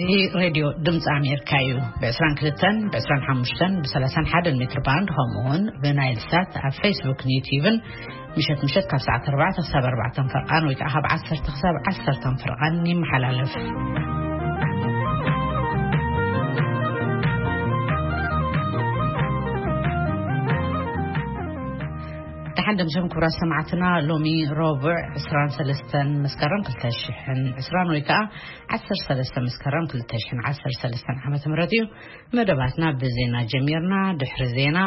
እዚ ሬድዮ ድምፂ ኣሜሪካ እዩ። ብ22፣ ብ25፣ ብ31 ሜትር ባንድ፣ ከምኡ እውን ብናይል ሳት ኣብ ፌስቡክን ዩቲዩብን ምሸት ምሸት ካብ ሰዓት 4 ክሳብ 4 ፍርቓን ወይ ከዓ ካብ 10 ክሳብ 10 ፍርቓን ይመሓላለፍ። ደሓን ደምሸም ክቡራት ሰማዕትና፣ ሎሚ ረቡዕ 23 መስከረም 2020 ወይ ከዓ 13 መስከረም 2013 ዓመተ ምህረት እዩ። መደባትና ብዜና ጀሚርና። ድሕሪ ዜና፣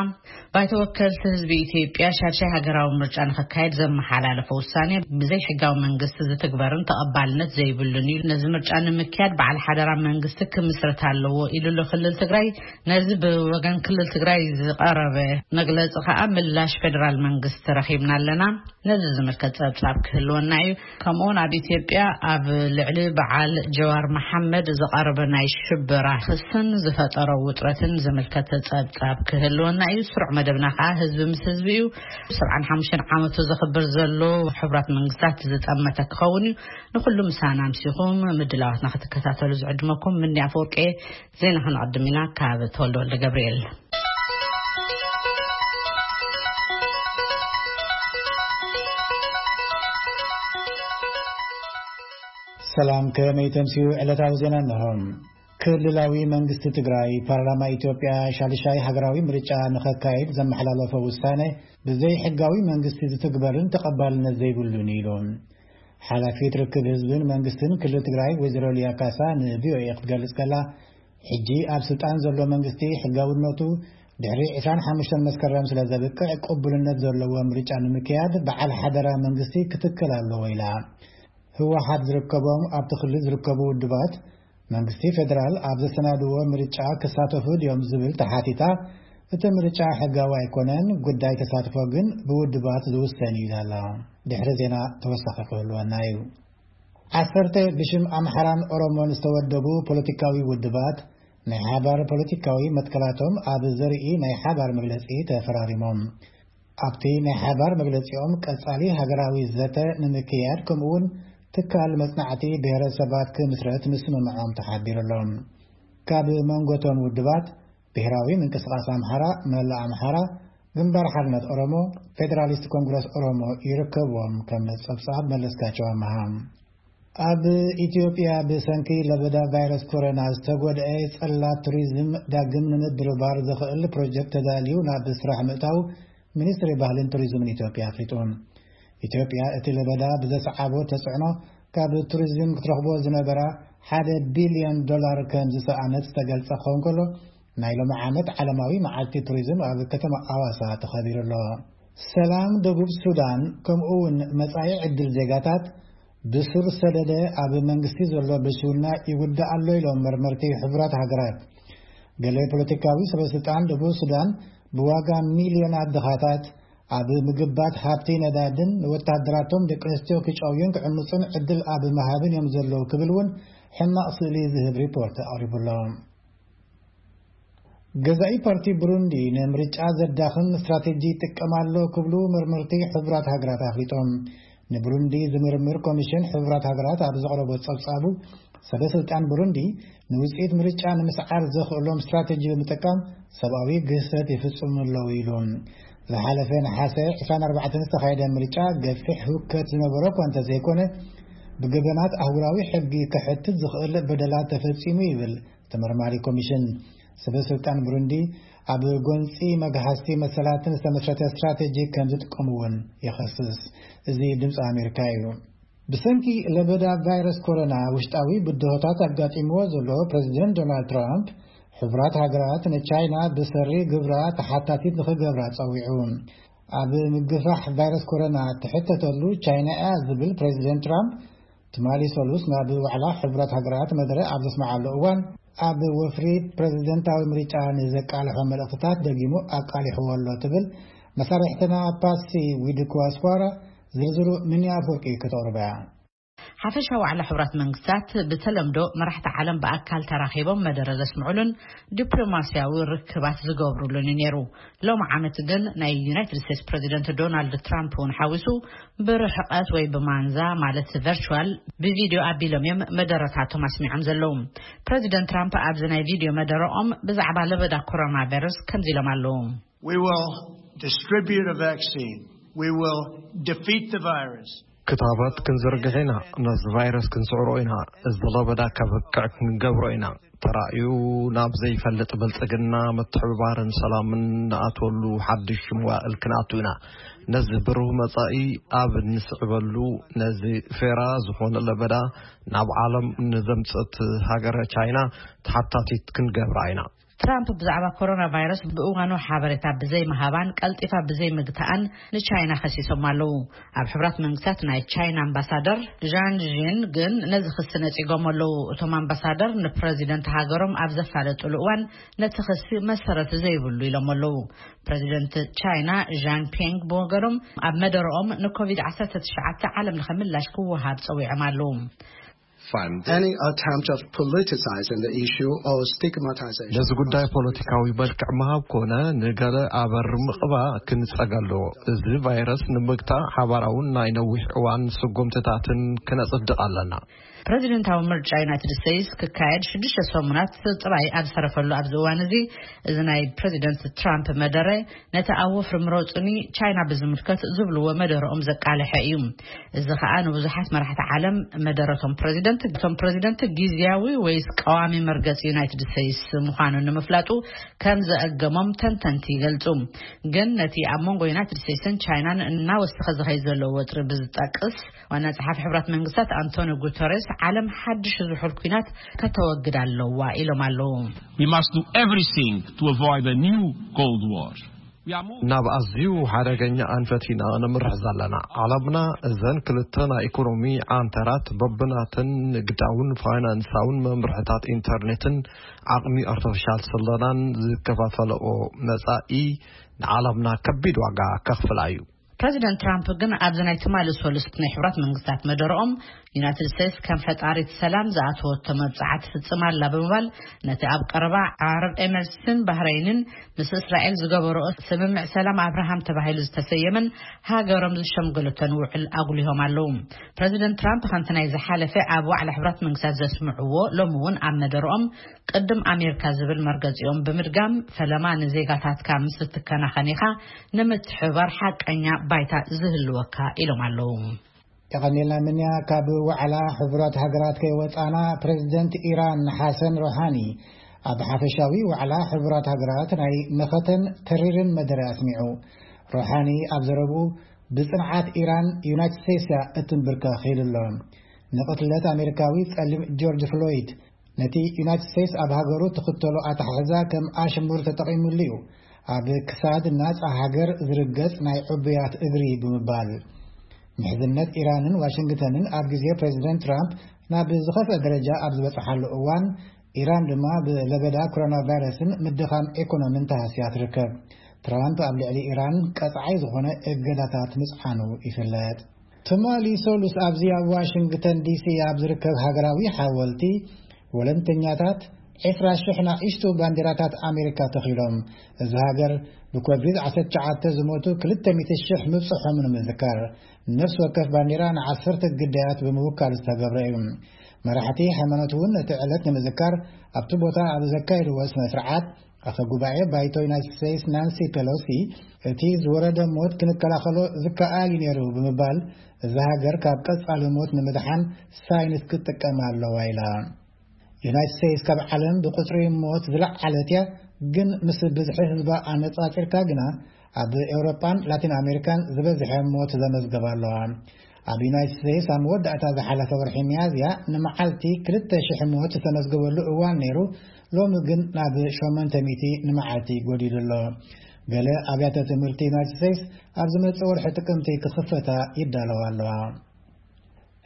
ባይቶ ወከልቲ ህዝቢ ኢትዮጵያ ሻድሻይ ሃገራዊ ምርጫ ንኸካየድ ዘመሓላለፈ ውሳኔ ብዘይ ሕጋዊ መንግስቲ ዝትግበርን ተቐባልነት ዘይብሉን እዩ። ነዚ ምርጫ ንምክያድ በዓል ሓደራ መንግስቲ ክምስረት ኣለዎ ኢሉ ኣሎ ክልል ትግራይ። ነዚ ብወገን ክልል ትግራይ ዝቐረበ መግለፂ ከዓ ምላሽ ፌደራል መንግስቲ ረኺብና ኣለና። ነዚ ዝምልከት ጸብጻብ ክህልወና እዩ። ከምኡውን ኣብ ኢትዮጵያ ኣብ ልዕሊ በዓል ጀዋር መሓመድ ዝቐረበ ናይ ሽበራ ክስን ዝፈጠሮ ውጥረትን ዝምልከት ጸብጻብ ክህልወና እዩ። ስሩዕ መደብና ከዓ ህዝቢ ምስ ህዝቢ እዩ። 75 ዓመቱ ዘኽብር ዘሎ ሕቡራት መንግስታት ዝጠመተ ክኸውን እዩ። ንኹሉ ምሳና ኣምሲኹም ምድላዋትና ክትከታተሉ ዝዕድመኩም ምኒ ኣፈወርቂ። ዜና ክንቐድም ኢና ካብ ተወልደ ወልደ ገብርኤል። ሰላም፣ ከመይ ተምስዩ ዕለታዊ ዜና እንሆ። ክልላዊ መንግስቲ ትግራይ ፓርላማ ኢትዮጵያ ሻድሻይ ሃገራዊ ምርጫ ንኸካይድ ዘመሓላለፎ ውሳነ ብዘይ ሕጋዊ መንግስቲ ዝትግበርን ተቐባልነት ዘይብሉን ኢሉ። ሓላፊት ርክብ ህዝብን መንግስትን ክልል ትግራይ ወይዘሮ ሊያ ካሳ ንቪኦኤ ክትገልጽ ከላ፣ ሕጂ ኣብ ስልጣን ዘሎ መንግስቲ ሕጋውነቱ ድሕሪ 25 መስከረም ስለ ዘብቅዕ ቅቡልነት ዘለዎ ምርጫ ንምክያድ በዓል ሓደራ መንግስቲ ክትክል ኣለዎ ኢላ። ህወሓት ዝርከቦም ኣብቲ ክልል ዝርከቡ ውድባት መንግስቲ ፌደራል ኣብ ዘሰናድዎ ምርጫ ክሳተፉ ድዮም ዝብል ተሓቲታ፣ እቲ ምርጫ ሕጋዊ ኣይኮነን፣ ጉዳይ ተሳትፎ ግን ብውድባት ዝውሰን እዩ ኢላ ኣላ። ድሕሪ ዜና ተወሳኺ ክህልወና እዩ። ዓሰርተ ብሽም ኣምሓራን ኦሮሞን ዝተወደቡ ፖለቲካዊ ውድባት ናይ ሓባር ፖለቲካዊ መትከላቶም ኣብ ዘርኢ ናይ ሓባር መግለጺ ተፈራሪሞም። ኣብቲ ናይ ሓባር መግለጺኦም ቀጻሊ ሃገራዊ ዘተ ንምክያድ ከምኡውን ትካል መጽናዕቲ ብሔረሰባት ክምስረት ምስምምዖም ተሓቢሩ ኣሎ። ካብ መንጎቶም ውድባት ብሔራዊ ምንቅስቃስ ኣምሓራ፣ መላእ ኣምሓራ፣ ግንባር ሓርነት ኦሮሞ፣ ፌደራሊስት ኮንግረስ ኦሮሞ ይርከብዎም ከም ጸብጻብ መለስካቸው ኣመሃ። ኣብ ኢትዮጵያ ብሰንኪ ለበዳ ቫይረስ ኮሮና ዝተጎድአ ጽላት ቱሪዝም ዳግም ንምድርባር ዘኽእል ፕሮጀክት ተዳልዩ ናብ ስራሕ ምእታው ሚኒስትሪ ባህልን ቱሪዝምን ኢትዮጵያ ኣፍሊጡ። ኢትዮጵያ እቲ ለበዳ ብዘሰዓቦ ተጽዕኖ ካብ ቱሪዝም ክትረኽቦ ዝነበራ ሓደ ቢልዮን ዶላር ከም ዝሰኣነት ዝተገልጸ ክኸውን ከሎ፣ ናይ ሎሚ ዓመት ዓለማዊ መዓልቲ ቱሪዝም ኣብ ከተማ ኣዋሳ ተኸቢሩ ኣሎ። ሰላም ደቡብ ሱዳን ከምኡ እውን መጻኢ ዕድል ዜጋታት ብሱር ሰደደ ኣብ መንግስቲ ዘሎ ብስውና ይውዳእ ኣሎ ኢሎም መርመርቲ ሕቡራት ሃገራት። ገለ ፖለቲካዊ ሰበስልጣን ደቡብ ሱዳን ብዋጋ ሚልዮናት ድኻታት ኣብ ምግባት ሃብቲ ነዳድን ንወታደራቶም ደቂ ኣንስትዮ ክጨውዩን ክዕምጹን ዕድል ኣብ መሃብን እዮም ዘለዉ ክብል እውን ሕማቕ ስእሊ ዝህብ ሪፖርት ኣቕሪቡ ኣሎ። ገዛኢ ፓርቲ ብሩንዲ ንምርጫ ዘዳኽም ስትራቴጂ ይጥቀም ኣሎ ክብሉ መርመርቲ ሕቡራት ሃገራት ኣፍሊጦም። ንብሩንዲ ዝምርምር ኮሚሽን ሕቡራት ሃገራት ኣብ ዘቕረቦ ጸብጻቡ፣ ሰበ ስልጣን ብሩንዲ ንውጽኢት ምርጫ ንምስዓር ዘኽእሎም ስትራቴጂ ብምጥቃም ሰብኣዊ ግህሰት ይፍጽሙ ኣለዉ ኢሉ። ዝሓለፈ ነሓሰ 24 ዝተኻየደ ምርጫ ገፊሕ ህውከት ዝነበሮ እኳ እንተዘይኮነ፣ ብገበናት ኣህጉራዊ ሕጊ ከሕትት ዝኽእል በደላት ተፈጺሙ ይብል ተመርማሪ ኮሚሽን። ሰበ ስልጣን ብሩንዲ ኣብ ጎንጺ መግሃስቲ መሰላትን ዝተመስረተ ስትራቴጂ ከም ዝጥቀሙ እውን ይኸስስ። እዚ ድምፂ ኣሜሪካ እዩ። ብሰንኪ ለበዳ ቫይረስ ኮሮና ውሽጣዊ ብድሆታት ኣጋጢምዎ ዘሎ ፕሬዚደንት ዶናልድ ትራምፕ፣ ሕቡራት ሃገራት ንቻይና ብሰሪ ግብራ ተሓታቲት ንኽገብራ ጸዊዑ። ኣብ ምግፋሕ ቫይረስ ኮሮና ትሕተተሉ ቻይና እያ ዝብል ፕሬዚደንት ትራምፕ፣ ትማሊ ሰሉስ ናብ ዋዕላ ሕቡራት ሃገራት መደረ ኣብ ዘስምዓሉ እዋን፣ ኣብ ወፍሪ ፕሬዚደንታዊ ምርጫ ንዘቃልሖ መልእኽትታት ደጊሙ ኣቃሊሕዎ ኣሎ ትብል መሳርሕትና ፓትሲ ዊድኮዋስኳራ። ዝርዝሩ ሚኒያ ኣፈወርቂ ከተቕርባ እያ። ሓፈሻዊ ዋዕላ ሕቡራት መንግስታት ብተለምዶ መራሕቲ ዓለም ብኣካል ተራኺቦም መደረ ዘስምዑሉን ዲፕሎማስያዊ ርክባት ዝገብሩሉን እዩ ነይሩ። ሎም ዓመት ግን ናይ ዩናይትድ ስቴትስ ፕሬዚደንት ዶናልድ ትራምፕ እውን ሓዊሱ ብርሕቀት ወይ ብማንዛ ማለት ቨርቹዋል ብቪዲዮ ኣቢሎም እዮም መደረታቶም ኣስሚዖም ዘለዉ። ፕሬዚደንት ትራምፕ ኣብዚ ናይ ቪዲዮ መደረኦም ብዛዕባ ለበዳ ኮሮና ቫይረስ ከምዚ ኢሎም ኣለዉ። We will distribute a vaccine. We will defeat the virus. ክታበት ክንዝርግሕ ኢና። ነዚ ቫይረስ ክንስዕሮ ኢና። እዚ ለበዳ ከብቅዕ ክንገብሮ ኢና። ተራእዩ ናብ ዘይፈልጥ ብልጽግና፣ ምትሕብባርን ሰላምን ንኣትወሉ ሓድሽ መዋእል ክንኣቱ ኢና። ነዚ ብሩህ መጻኢ ኣብ እንስዕበሉ፣ ነዚ ፌራ ዝኾነ ለበዳ ናብ ዓለም ንዘምጸት ሃገረ ቻይና ተሓታቲት ክንገብራ ኢና። ትራምፕ ብዛዕባ ኮሮና ቫይረስ ብእዋኑ ሓበሬታ ብዘይ ምሃባን ቀልጢፋ ብዘይ ምግታኣን ንቻይና ከሲሶም ኣለዉ። ኣብ ሕብራት መንግስታት ናይ ቻይና ኣምባሳደር ዣን ዥን ግን ነዚ ክሲ ነጺጎም ኣለዉ። እቶም ኣምባሳደር ንፕረዚደንት ሃገሮም ኣብ ዘፋለጡሉ እዋን ነቲ ክሲ መሰረት ዘይብሉ ኢሎም ኣለዉ። ፕረዚደንት ቻይና ዣን ፒንግ ብወገኖም ኣብ መደረኦም ንኮቪድ ዓሰርተ ትሽዓተ ዓለም ለኸ ምላሽ ክወሃብ ጸዊዖም ኣለዉ። Any attempt of politicizing the issue or stigmatization ነዚ ጉዳይ ፖለቲካዊ መልክዕ ምሃብ ኮነ ንገለ ኣበር ምቕባእ ክንጸግ ኣለዎ። እዚ ቫይረስ ንምግታእ ሓባራውን ናይ ነዊሕ እዋን ስጉምትታትን ክነጽድቕ ኣለና። ፕረዚደንታዊ ምርጫ ዩናይትድ ስቴትስ ክካየድ ሽዱሽተ ሰሙናት ጥራይ ኣብ ዝተረፈሉ ኣብዚ እዋን እዚ፣ እዚ ናይ ፕረዚደንት ትራምፕ መደረ ነቲ ኣብ ወፍሪ ምረጹኒ ቻይና ብዝምልከት ዝብልዎ መደረኦም ዘቃልሐ እዩ። እዚ ኸኣ ንብዙሓት መራሕቲ ዓለም መደረቶም ፕረዚደንት፣ እቶም ፕረዚደንት ግዝያዊ ወይስ ቀዋሚ መርገጺ ዩናይትድ ስቴትስ ምዃኑ ንምፍላጡ ከም ዘእገሞም ተንተንቲ ይገልጹ። ግን ነቲ ኣብ መንጎ ዩናይትድ ስቴትስን ቻይናን እናወሰኸ ዝኸይድ ዘሎ ወጥሪ ብዝጠቅስ፣ ዋና ጸሓፊ ሕብራት መንግስታት ኣንቶኒ ጉተሬስ ዓለም ሓድሽ ዝሑል ኲናት ከተወግድ ኣለዋ ኢሎም ኣለዉ። We must do everything to avoid a new Cold War. We are moving. ናብ ኣዝዩ ሓደገኛ ኣንፈት ኢና ንምርሕ ዘለና። ዓለምና እዘን ክልተ ናይ ኢኮኖሚ ዓንተራት በብናተን ንግዳውን ፋይናንሳውን መምርሕታት ኢንተርኔትን ዓቕሚ ኣርቲፊሻል ስለናን ዝከፋፈለኦ መጻኢ ንዓለምና ከቢድ ዋጋ ከኽፍላ እዩ። ፕረዚደንት ትራምፕ ግን ኣብዚ ናይ ትማሊ ሰሉስ ናይ ሕቡራት መንግስታት መደረኦም፣ ዩናይትድ ስቴትስ ከም ፈጣሪት ሰላም ዝኣተወቶ መብጽዓ ትፍጽም ኣላ ብምባል፣ ነቲ ኣብ ቀረባ ዓረብ ኤምሬትስን ባህረይንን ምስ እስራኤል ዝገበረኦ ስምምዕ ሰላም ኣብርሃም ተባሂሉ ዝተሰየመን ሃገሮም ዝሸምገለቶን ውዕል ኣጉሊሆም ኣለዉ። ፕረዚደንት ትራምፕ ከምቲ ናይ ዝሓለፈ ኣብ ዋዕላ ሕቡራት መንግስታት ዘስምዕዎ፣ ሎሚ እውን ኣብ መደረኦም ቅድም ኣሜሪካ ዝብል መርገጺኦም ብምድጋም፣ ፈለማ ንዜጋታትካ ምስ እትከናኸን ኢኻ ንምትሕብባር ሓቀኛ ባይታ ዝህልወካ ኢሎም ኣለዉ። የቐኒልና ምንያ ካብ ዋዕላ ሕቡራት ሃገራት ከይወጻና ፕሬዚደንት ኢራን ሓሰን ሮሃኒ ኣብ ሓፈሻዊ ዋዕላ ሕቡራት ሃገራት ናይ መኸተን ተሪርን መደረ ኣስሚዑ። ሮሃኒ ኣብ ዘረብኡ ብጽንዓት ኢራን ዩናይትድ ስቴትስ እያ እትንብርከኽ ኢሉ ኣሎ። ንቕትለት ኣሜሪካዊ ጸሊም ጆርጅ ፍሎይድ ነቲ ዩናይትድ ስቴትስ ኣብ ሃገሩ ትኽተሎ ኣተሓሕዛ ከም ኣሽሙር ተጠቒሙሉ እዩ፣ ኣብ ክሳድ ናጻ ሃገር ዝርገጽ ናይ ዕቡያት እግሪ ብምባል። ምሕዝነት ኢራንን ዋሽንግተንን ኣብ ግዜ ፕሬዚደንት ትራምፕ ናብ ዝኸፍአ ደረጃ ኣብ ዝበጽሓሉ እዋን፣ ኢራን ድማ ብለበዳ ኮሮና ቫይረስን ምድኻም ኢኮኖሚን ተሃስያ ትርከብ። ትራምፕ ኣብ ልዕሊ ኢራን ቀጻዓይ ዝኾነ እገዳታት ምጽዓኑ ይፍለጥ። ትማሊ ሰሉስ ኣብዚ ኣብ ዋሽንግተን ዲሲ ኣብ ዝርከብ ሃገራዊ ሓወልቲ ወለንተኛታት ዕስራ ሽሕ ናእሽቱ ባንዲራታት ኣሜሪካ ተኺሎም፣ እዚ ሃገር ብኮቪድ ዓሰርተ ትሽዓተ ዝሞቱ ክልተ ሚእቲ ሽሕ ምብጽሖም ንምዝካር፣ ነፍሲ ወከፍ ባንዲራ ንዓሰርተ ግዳያት ብምውካል ዝተገብረ እዩ። መራሕቲ ሃይማኖት እውን ነቲ ዕለት ንምዝካር ኣብቲ ቦታ ኣብ ዘካየድዎ ስነ ስርዓት፣ ኣፈ ጉባኤ ባይቶ ዩናይትድ ስቴትስ ናንሲ ፔሎሲ፣ እቲ ዝወረደ ሞት ክንከላኸሎ ዝከኣል እዩ ነይሩ ብምባል፣ እዛ ሃገር ካብ ቀጻሊ ሞት ንምድሓን ሳይንስ ክትጥቀም ኣለዋ ኢላ። ዩናይትድ ስቴትስ ካብ ዓለም ብቁጽሪ ሞት ዝለዓለት እያ፣ ግን ምስ ብዝሒ ህዝባ ኣነጻጺርካ ግና ኣብ ኤውሮጳን ላቲን ኣሜሪካን ዝበዝሐ ሞት ዘመዝገባ ኣለዋ። ኣብ ዩናይትድ ስቴትስ ኣብ መወዳእታ ዝሓለፈ ወርሒ ሚያዝያ ንመዓልቲ ክልተ ሽሕ ሞት ዝተመዝገበሉ እዋን ነይሩ፣ ሎሚ ግን ናብ ሸሞንተ ሚእቲ ንመዓልቲ ጎዲሉ ኣሎ። ገለ ኣብያተ ትምህርቲ ዩናይትድ ስቴትስ ኣብ ዝመጽእ ወርሒ ጥቅምቲ ክኽፈታ ይዳለዋ ኣለዋ።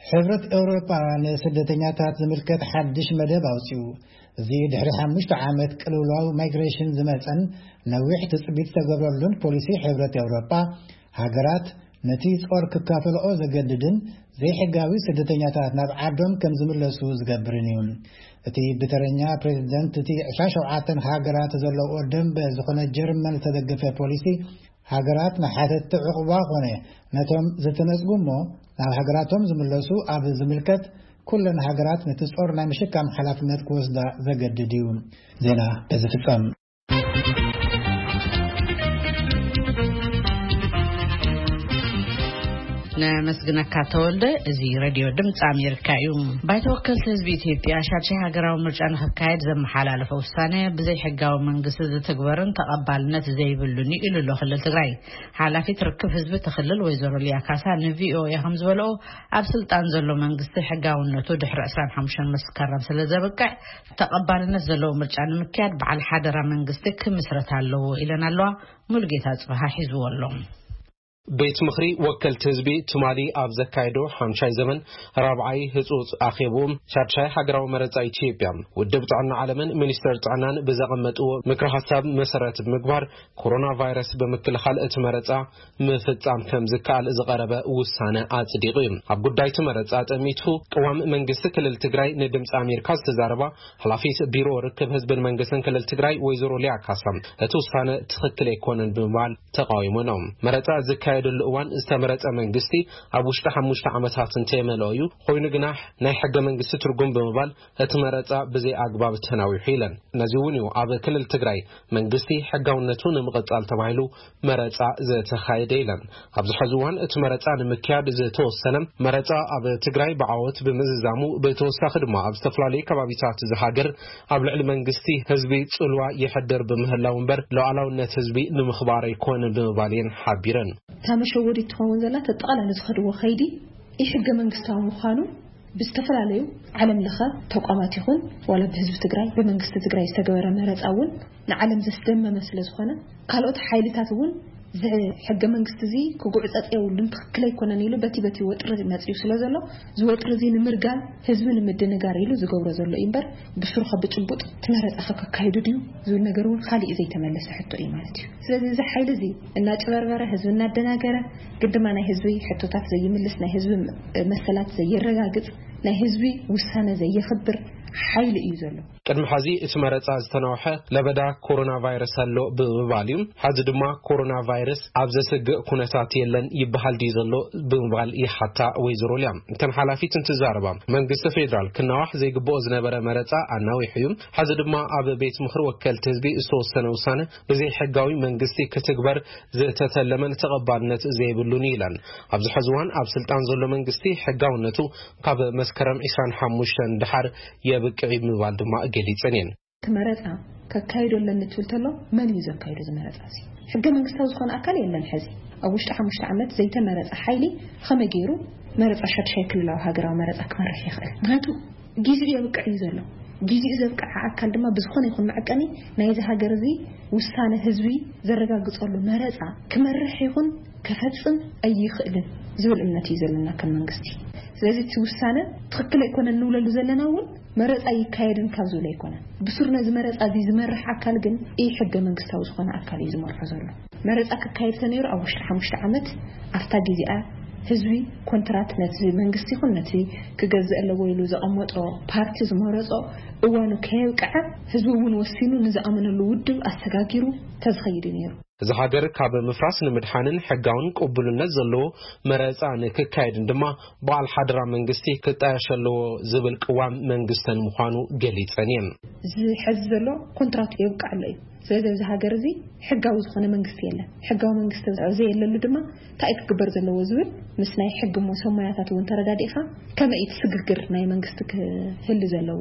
ሕብረት ኤውሮጳ ንስደተኛታት ዝምልከት ሓድሽ መደብ ኣውጺኡ። እዚ ድሕሪ ሓሙሽተ ዓመት ቅልውላው ማይግሬሽን ዝመጸን ነዊሕ ትጽቢት ዝተገብረሉን ፖሊሲ ሕብረት ኤውሮጳ፣ ሃገራት ነቲ ጾር ክካፈልኦ ዘገድድን ዘይሕጋዊ ስደተኛታት ናብ ዓዶም ከም ዝምለሱ ዝገብርን እዩ። እቲ ብተረኛ ፕሬዝደንት እቲ ዕስራን ሸውዓተን ሃገራት ዘለዎ ደንበ ዝኾነ ጀርመን ዝተደገፈ ፖሊሲ፣ ሃገራት ንሓተቲ ዕቑባ ኾነ ነቶም ዝተነጽጉ እሞ ናብ ሃገራቶም ዝምለሱ ኣብ ዝምልከት፣ ኩለን ሃገራት ነቲ ጾር ናይ ምሽካም ሓላፍነት ክወስዳ ዘገድድ እዩ። ዜና በዚ ፍጸም። ነመስግነካ ተወልደ። እዚ ሬድዮ ድምፂ ኣሜሪካ እዩ። ባይቶ ወከልቲ ህዝቢ ኢትዮጵያ ሻድሻይ ሃገራዊ ምርጫ ንክካየድ ዘመሓላለፈ ውሳነ ብዘይ ሕጋዊ መንግስቲ ዝትግበርን ተቐባልነት ዘይብሉን እዩ ኢሉ ኣሎ ክልል ትግራይ። ሓላፊት ርክብ ህዝቢ እቲ ክልል ወይዘሮ ሊያ ካሳ ንቪኦኤ ከም ዝበለኦ፣ ኣብ ስልጣን ዘሎ መንግስቲ ሕጋውነቱ ድሕሪ ዕስራን ሓሙሽተን መስከረም ስለ ዘብቅዕ፣ ተቐባልነት ዘለዎ ምርጫ ንምክያድ በዓል ሓደራ መንግስቲ ክምስረት ኣለዎ ኢለን ኣለዋ። ሙሉጌታ ጽበሃ ሒዝዎ ኣሎ። ቤት ምኽሪ ወከልቲ ህዝቢ ትማሊ ኣብ ዘካየዶ ሓምሻይ ዘመን ራብዓይ ህጹጽ ኣኼብኡ፣ ሻድሻይ ሃገራዊ መረጻ ኢትዮጵያ፣ ውድብ ጥዕና ዓለምን ሚኒስተር ጥዕናን ብዘቐመጥዎ ምክረ ሓሳብ መሰረት ብምግባር፣ ኮሮና ቫይረስ ብምክልኻል እቲ መረጻ ምፍጻም ከም ዝከኣል ዝቐረበ ውሳነ ኣጽዲቑ እዩ። ኣብ ጉዳይ እቲ መረጻ ጠሚቱ ቅዋም መንግስቲ ክልል ትግራይ ንድምፂ ኣሜሪካ ዝተዛረባ ሓላፊት ቢሮ ርክብ ህዝብን መንግስትን ክልል ትግራይ ወይዘሮ ሊያ ካሳ፣ እቲ ውሳነ ትኽክል ኣይኮነን ብምባል ተቃዊሞኖም። መረጻ ዝካየደሉ እዋን ዝተመረጸ መንግስቲ ኣብ ውሽጢ ሓሙሽተ ዓመታት እንተየመልኦ እዩ። ኮይኑ ግና ናይ ሕገ መንግስቲ ትርጉም ብምባል እቲ መረጻ ብዘይ ኣግባብ ተናዊሑ ኢለን። ነዚ እውን እዩ ኣብ ክልል ትግራይ መንግስቲ ሕጋውነቱ ንምቕጻል ተባሂሉ መረጻ ዝተኻየደ ኢለን። ኣብዚ ሕዚ እዋን እቲ መረጻ ንምክያድ ዝተወሰነ መረጻ ኣብ ትግራይ ብዓወት ብምዝዛሙ፣ ብተወሳኺ ድማ ኣብ ዝተፈላለዩ ከባቢታት እዚ ሃገር ኣብ ልዕሊ መንግስቲ ህዝቢ ጽልዋ ይሕድር ብምህላው እምበር ሉዓላውነት ህዝቢ ንምኽባር ኣይኮነን ብምባል እየን ሓቢረን። እታ መሸወዲት ትኸውን ዘላ፣ ተጠቓላሊ ዝኸድዎ ከይዲ ኢ ሕገ መንግስታዊ ምዃኑ ብዝተፈላለዩ ዓለም ለኸ ተቋማት ይኹን ዋላ ብህዝቢ ትግራይ፣ ብመንግስቲ ትግራይ ዝተገበረ መረፃ እውን ንዓለም ዘስደመመ ስለ ዝኾነ፣ ካልኦት ሓይልታት እውን እዚ ሕገ መንግስቲ እዚ ክጉዕፀፅ የብሉን፣ ትኽክል ኣይኮነን ኢሉ በቲ በቲ ወጥሪ መፅዩ ስለ ዘሎ፣ እዚ ወጥሪ እዚ ንምርጋም፣ ህዝቢ ንምድንጋር ኢሉ ዝገብሮ ዘሎ እዩ እምበር፣ ብስሩ ከ ብጭቡጥ እቲ መረፃ ከ ከካይዱ ድዩ ዝብል ነገር እውን ካሊእ ዘይተመለሰ ሕቶ እዩ ማለት እዩ። ስለዚ እዚ ሓይሊ እዚ እናጭበርበረ፣ ህዝቢ እናደናገረ፣ ግን ድማ ናይ ህዝቢ ሕቶታት ዘይምልስ፣ ናይ ህዝቢ መሰላት ዘየረጋግጽ፣ ናይ ህዝቢ ውሳነ ዘየኽብር ሓይሊ እዩ ዘሎ። ቅድሚ ሐዚ እቲ መረጻ ዝተናውሐ ለበዳ ኮሮና ቫይረስ ኣሎ ብምባል እዩ። ሐዚ ድማ ኮሮና ቫይረስ ኣብ ዘስግእ ኩነታት የለን ይበሃል ድዩ ዘሎ ብምባል ይሓታ ወይዘሮ ሊያ። እተን ሓላፊት እንትዛረባ፣ መንግስቲ ፌዴራል ክናዋሕ ዘይግብኦ ዝነበረ መረጻ ኣናዊሑ እዩ። ሐዚ ድማ ኣብ ቤት ምኽሪ ወከልቲ ህዝቢ ዝተወሰነ ውሳነ ብዘይ ሕጋዊ መንግስቲ ክትግበር ዝተተለመን ተቐባልነት ዘይብሉን ኢለን። ኣብዚ ሕዚ እዋን ኣብ ስልጣን ዘሎ መንግስቲ ሕጋውነቱ ካብ መስከረም ዕስራን ሓሙሽተን ደሓር የብቅዕ ብምባል ድማ ገሊጸን እየን። እቲ መረጻ ከካይዶ ኣለኒ ትብል ተሎ፣ መን እዩ ዘካይዶ እዚ መረጻ እዚ? ሕገ መንግስታዊ ዝኾነ ኣካል የለን። ሕዚ ኣብ ውሽጢ ሓሙሽተ ዓመት ዘይተመረጸ ሓይሊ ከመይ ገይሩ መረጻ ሻድሻይ ክልላዊ ሃገራዊ መረጻ ክመርሕ ይኽእል? ምክንያቱ ግዜኡ የብቅዕ እዩ ዘሎ። ግዜኡ ዘብቅዐ ኣካል ድማ ብዝኾነ ይኹን መዐቀኒ ናይዚ ሃገር እዚ ውሳነ ህዝቢ ዘረጋግጸሉ መረጻ ክመርሕ ይኹን ከፈጽም ኣይኽእልን ዝብል እምነት እዩ ዘለና ከም መንግስቲ። ስለዚ እቲ ውሳነ ትኽክል ኣይኮነን ንብለሉ ዘለና እውን መረጻ ይካየድን ካብ ዝብል ኣይኮነን። ብሱር ነዚ መረጻ እዚ ዝመርሕ ኣካል ግን ኢ ሕገ መንግስታዊ ዝኾነ ኣካል እዩ ዝመርሖ ዘሎ። መረጻ ክካየድ ተነይሩ ኣብ ውሽጢ ሓሙሽተ ዓመት ኣብታ ግዜኣ ህዝቢ ኮንትራት ነቲ መንግስቲ ይኹን ነቲ ክገዝእ ኣለዎ ኢሉ ዘቐመጦ ፓርቲ ዝመረጾ እዋኑ ከየብቅዐ ህዝቢ እውን ወሲኑ ንዝኣመነሉ ውድብ ኣሰጋጊሩ ተዝኸይድ እዩ ነይሩ። እዚ ሃገር ካብ ምፍራስ ንምድሓንን ሕጋውን ቅቡልነት ዘለዎ መረጻ ንክካየድን ድማ በዓል ሓደራ መንግስቲ ክጣየሽ ኣለዎ ዝብል ቅዋም መንግስተን ምዃኑ ገሊጸን እየን። እዚ ሕዚ ዘሎ ኮንትራት የብቅዕ ኣሎ እዩ። ስለዚ ኣብዚ ሃገር እዚ ሕጋዊ ዝኾነ መንግስቲ የለን። ሕጋዊ መንግስቲ ዘየለሉ ድማ እንታይ ክግበር ዘለዎ ዝብል ምስ ናይ ሕጊ ሞ ሰሞያታት እውን ተረዳዲእካ ከመይ እቲ ስግግር ናይ መንግስቲ ክህሉ ዘለዎ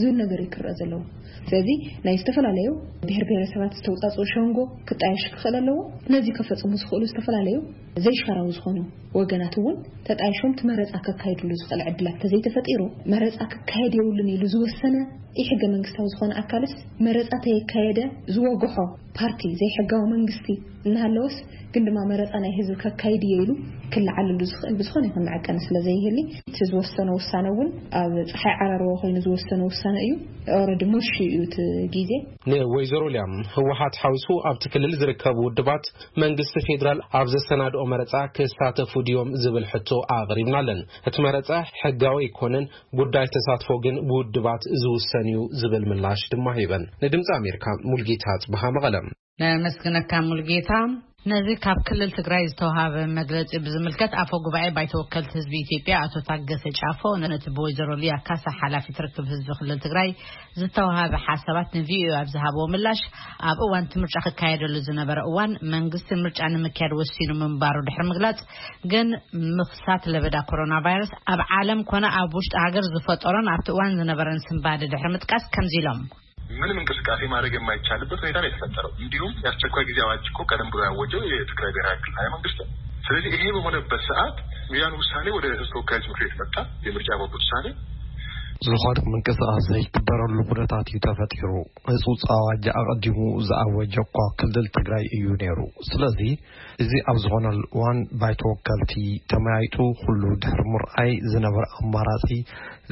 ዝብል ነገር እዩ ክረአ ዘለዎ። ስለዚ ናይ ዝተፈላለዩ ብሔር ብሔረሰባት ዝተውፃፅኡ ሸንጎ ክጣየሽ ክኽእል ኣለዎ። ነዚ ከፈፅሙ ዝኽእሉ ዝተፈላለዩ ዘይሻራዊ ዝኾኑ ወገናት እውን ተጣይሾም እቲ መረፃ ከካይድሉ ዝኽእል ዕድላት ተዘይተፈጢሩ፣ መረፃ ክካየድ የብሉን ኢሉ ዝወሰነ ኢ ሕገ መንግስታዊ ዝኾነ ኣካልስ መረፃ ተየካየደ ዝወግሖ ፓርቲ ዘይሕጋዊ መንግስቲ እናሃለወስ ግን ድማ መረፃ ናይ ህዝቢ ከካይድ እየ ኢሉ ክለዓልሉ ዝኽእል ብዝኾነ ይኹን መዐቀኒ ስለ ዘይህሊ፣ እቲ ዝወሰነ ውሳነ እውን ኣብ ፀሓይ ዓራርቦ ኮይኑ ዝወሰነ ውሳነ እዩ። ኦረዲ ሞሽ እዩ እቲ ግዜ። ንወይዘሮ ሊያም ህወሓት ሓዊሱ ኣብቲ ክልል ዝርከቡ ውድባት መንግስቲ ፌዴራል ኣብ ዘሰናድኦ መረጻ ክሳተፉ ድዮም ዝብል ሕቶ ኣቕሪብናለን። እቲ መረጻ ሕጋዊ ኣይኮነን፣ ጉዳይ ተሳትፎ ግን ብውድባት ዝውሰን እዩ ዝብል ምላሽ ድማ ሂበን። ንድምፂ ኣሜሪካ፣ ሙልጌታ ጽብሃ፣ መቐለ። ነመስግነካ ሙልጌታ። ነዚ ካብ ክልል ትግራይ ዝተዋሃበ መግለጺ ብዝምልከት፣ ኣፈ ጉባኤ ባይቶ ወከልቲ ህዝቢ ኢትዮጵያ ኣቶ ታገሰ ጫፎ ነቲ ብወይዘሮ ሊያ ካሳ ሓላፊት ርክብ ህዝቢ ክልል ትግራይ ዝተዋሃበ ሓሳባት ንቪኦኤ ኣብ ዝሃብዎ ምላሽ፣ ኣብ እዋን እቲ ምርጫ ክካየደሉ ዝነበረ እዋን መንግስቲ ምርጫ ንምክያድ ወሲኑ ምንባሩ ድሕሪ ምግላጽ፣ ግን ምኽሳት ለበዳ ኮሮና ቫይረስ ኣብ ዓለም ኮነ ኣብ ውሽጢ ሃገር ዝፈጠሮን ኣብቲ እዋን ዝነበረን ስንባደ ድሕሪ ምጥቃስ ከምዚ ኢሎም። ምንም እንቅስቃሴ ማድረግ የማይቻልበት ሁኔታ ነው የተፈጠረው። እንዲሁም የአስቸኳይ ጊዜ አዋጅ እኮ ቀደም ብሎ ያወጀው የትግራይ ብሔራዊ ክልላዊ መንግስት ነው። ስለዚህ ይሄ በሆነበት ሰዓት ያን ውሳኔ ወደ ህዝብ ተወካዮች ምክር ቤት መጣ። የምርጫ ቦርድ ውሳኔ ዝኾነ ምንቅስቃስ ዘይግበረሉ ኩነታት እዩ ተፈጢሩ። ህፁፅ ኣዋጅ ኣቐዲሙ ዝኣወጀ እኳ ክልል ትግራይ እዩ ነይሩ። ስለዚ እዚ ኣብ ዝኾነሉ እዋን ባይቶ ወከልቲ ተመያይጡ ኩሉ ድሕሪ ምርኣይ ዝነበረ ኣማራፂ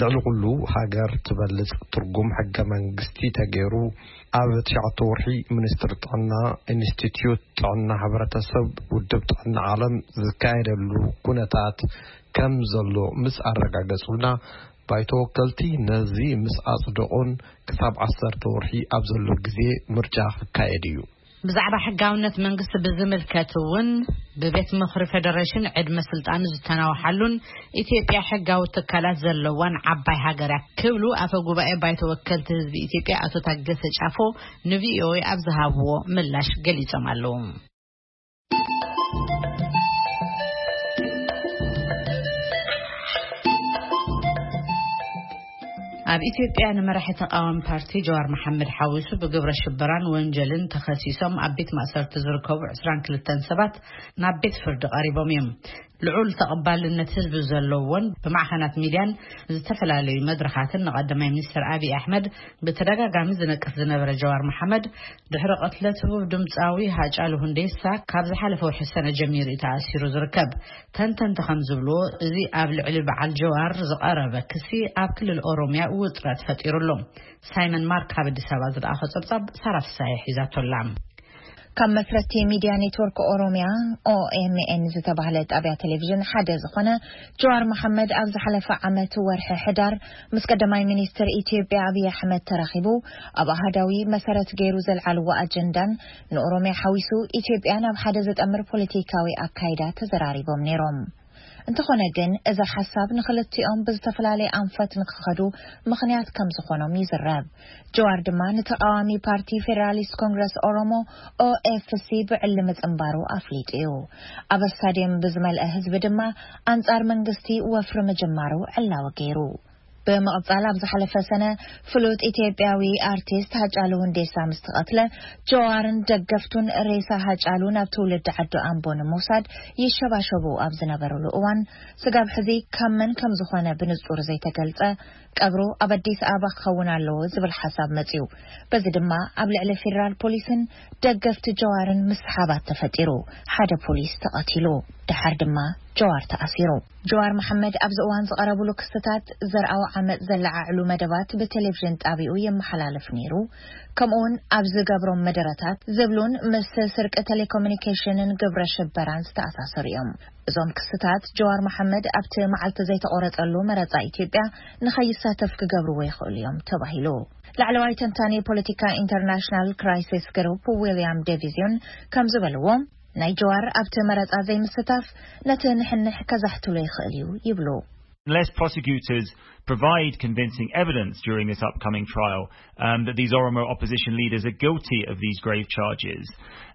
ልዕሊ ኩሉ ሃገር ትበልፅ ትርጉም ሕገ መንግስቲ ተገይሩ ኣብ ትሽዓተ ወርሒ ሚኒስትሪ ጥዕና፣ ኢንስቲትዩት ጥዕና ሕብረተሰብ፣ ውድብ ጥዕና ዓለም ዝካየደሉ ኩነታት ከም ዘሎ ምስ ኣረጋገጹልና፣ ባይቶ ወከልቲ ነዚ ምስ ኣጽደቑን ክሳብ ዓሰርተ ወርሒ ኣብ ዘሎ ግዜ ምርጫ ክካየድ እዩ። ብዛዕባ ሕጋውነት መንግስቲ ብዝምልከት እውን ብቤት ምኽሪ ፌደሬሽን ዕድመ ስልጣኑ ዝተናውሓሉን ኢትዮጵያ ሕጋዊ ትካላት ዘለዋን ዓባይ ሃገር እያ ክብሉ ኣፈ ጉባኤ ባይቶ ወከልቲ ህዝቢ ኢትዮጵያ ኣቶ ታገሰ ጫፎ ንቪኦኤ ኣብ ዝሃብዎ ምላሽ ገሊጾም ኣለዉ። ኣብ ኢትዮጵያ ንመራሒ ተቃዋሚ ፓርቲ ጀዋር መሓመድ ሓዊሱ ብግብረ ሽበራን ወንጀልን ተኸሲሶም ኣብ ቤት ማእሰርቲ ዝርከቡ ዕስራን ክልተን ሰባት ናብ ቤት ፍርዲ ቀሪቦም እዮም። ልዑል ተቐባልነት ህዝቢ ዘለዎን ብማዕኸናት ሚድያን ዝተፈላለዩ መድረኻትን ንቀዳማይ ሚኒስትር ኣብይ ኣሕመድ ብተደጋጋሚ ዝነቅፍ ዝነበረ ጀዋር መሓመድ፣ ድሕሪ ቅትለት ህቡብ ድምፃዊ ሃጫሉ ሁንዴሳ ካብ ዝሓለፈ ወርሒ ሰነ ጀሚሩ እዩ ተኣሲሩ ዝርከብ። ተንተንቲ ከም ዝብልዎ፣ እዚ ኣብ ልዕሊ በዓል ጀዋር ዝቐረበ ክሲ ኣብ ክልል ኦሮሚያ ውጥረት ፈጢሩ ኣሎ። ሳይመን ማርክ ካብ ኣዲስ ኣበባ ዝለኣኾ ጸብጻብ ሳራ ፍሳሐ ሒዛቶ ኣላ። ካብ መስረቲ ሚድያ ኔትወርክ ኦሮሚያ፣ ኦኤምኤን፣ ዝተባህለ ጣብያ ቴሌቪዥን ሓደ ዝኾነ ጀዋር መሓመድ፣ ኣብ ዝሓለፈ ዓመት ወርሒ ሕዳር ምስ ቀዳማይ ሚኒስትር ኢትዮጵያ ኣብይ ኣሕመድ ተራኺቡ ኣብ ኣሃዳዊ መሰረት ገይሩ ዘልዓልዎ ኣጀንዳን ንኦሮሚያ ሓዊሱ ኢትዮጵያ ናብ ሓደ ዘጠምር ፖለቲካዊ ኣካይዳ ተዘራሪቦም ነይሮም። እንተኾነ ግን፣ እዚ ሓሳብ ንኽልቲኦም ብዝተፈላለየ ኣንፈት ንክኸዱ ምኽንያት ከም ዝኾኖም ይዝረብ። ጀዋር ድማ ንተቓዋሚ ፓርቲ ፌደራሊስት ኮንግረስ ኦሮሞ፣ ኦኤፍሲ፣ ብዕሊ ምጽንባሩ ኣፍሊጡ እዩ። ኣብ ስታድየም ብዝመልአ ህዝቢ ድማ ኣንጻር መንግስቲ ወፍሪ ምጅማሩ ዕላዊ ገይሩ። ብምቕጻል፣ ኣብ ዝሓለፈ ሰነ ፍሉጥ ኢትዮጵያዊ ኣርቲስት ሃጫሉ ሁንዴሳ ምስ ተቐትለ፣ ጀዋርን ደገፍቱን ሬሳ ሃጫሉ ናብ ትውልዲ ዓዱ ኣምቦ ንምውሳድ ይሸባሸቡ ኣብ ዝነበሩሉ እዋን፣ ስጋብ ሕዚ ካብ መን ከም ዝኾነ ብንጹር ዘይተገልጸ፣ ቀብሩ ኣብ ኣዲስ ኣበባ ክኸውን ኣለዎ ዝብል ሓሳብ መጺኡ። በዚ ድማ ኣብ ልዕሊ ፌደራል ፖሊስን ደገፍቲ ጀዋርን ምስሓባት ተፈጢሩ። ሓደ ፖሊስ ተቐቲሉ። ደሓር ድማ ጀዋር ተኣሲሩ። ጀዋር መሓመድ ኣብዚ እዋን ዝቐረብሉ ክስታት ዘርኣዊ ዓመጽ ዘለዓዕሉ መደባት ብቴሌቪዥን ጣቢኡ የመሓላልፍ ነይሩ። ከምኡውን ኣብ ዝገብሮም መደረታት ዝብሉን ምስ ስርቂ ቴሌኮሙኒኬሽንን ግብረ ሽበራን ዝተኣሳሰሩ እዮም። እዞም ክስታት ጀዋር መሓመድ ኣብቲ መዓልቲ ዘይተቖረጸሉ መረጻ ኢትዮጵያ ንኸይሳተፍ ክገብርዎ ይኽእሉ እዮም ተባሂሉ። ላዕለዋይ ተንታኒ ፖለቲካ ኢንተርናሽናል ክራይሲስ ግሩፕ ዊልያም ዴቪዝዮን ከም ዝበልዎ፣ ናይ ጀዋር ኣብቲ መረጻ ዘይምስታፍ ነቲ ንሕንሕ ከዛሕትሎ ይኽእል እዩ ይብሉ። Unless prosecutors provide convincing evidence during this upcoming trial um, that these Oromo opposition leaders are guilty of these grave charges,